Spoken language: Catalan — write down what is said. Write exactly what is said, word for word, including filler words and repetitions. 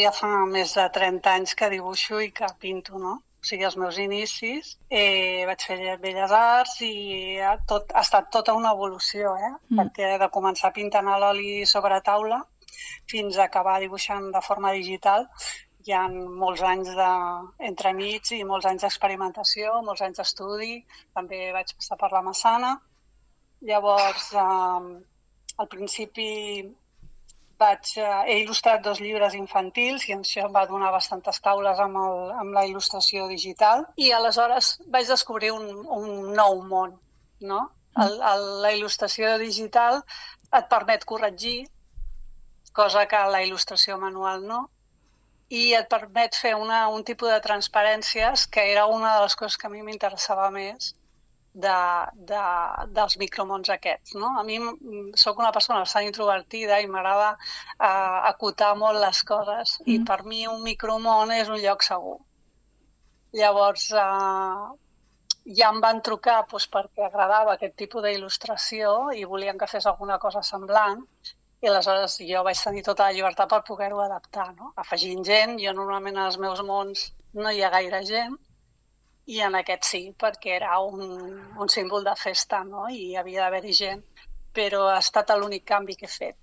Ja fa més de trenta anys que dibuixo i que pinto, no? O sigui, els meus inicis, eh, vaig fer Belles Arts i ha, tot, ha estat tota una evolució, eh? Mm. Perquè de començar pintant a l'oli sobre taula fins a acabar dibuixant de forma digital hi ha molts anys d'entremig i molts anys d'experimentació, molts anys d'estudi. També vaig passar per la Massana. Llavors, eh, al principi vaig, eh, he il·lustrat dos llibres infantils i això em va donar bastantes taules amb, el, amb la il·lustració digital i aleshores vaig descobrir un, un nou món, no? El, el, la il·lustració digital et permet corregir, cosa que la il·lustració manual no, i et permet fer una, un tipus de transparències que era una de les coses que a mi m'interessava més de, de, dels micromons aquests, no? A mi sóc una persona bastant introvertida i m'agrada uh, acotar molt les coses mm. i per mi un micromon és un lloc segur. Llavors uh, ja em van trucar doncs, perquè agradava aquest tipus d'il·lustració i volien que fes alguna cosa semblant i aleshores jo vaig tenir tota la llibertat per poder-ho adaptar, no? Afegint gent, jo normalment als meus mons no hi ha gaire gent, i en aquest sí, perquè era un, un símbol de festa, no? I havia d'haver-hi gent, però ha estat l'únic canvi que he fet.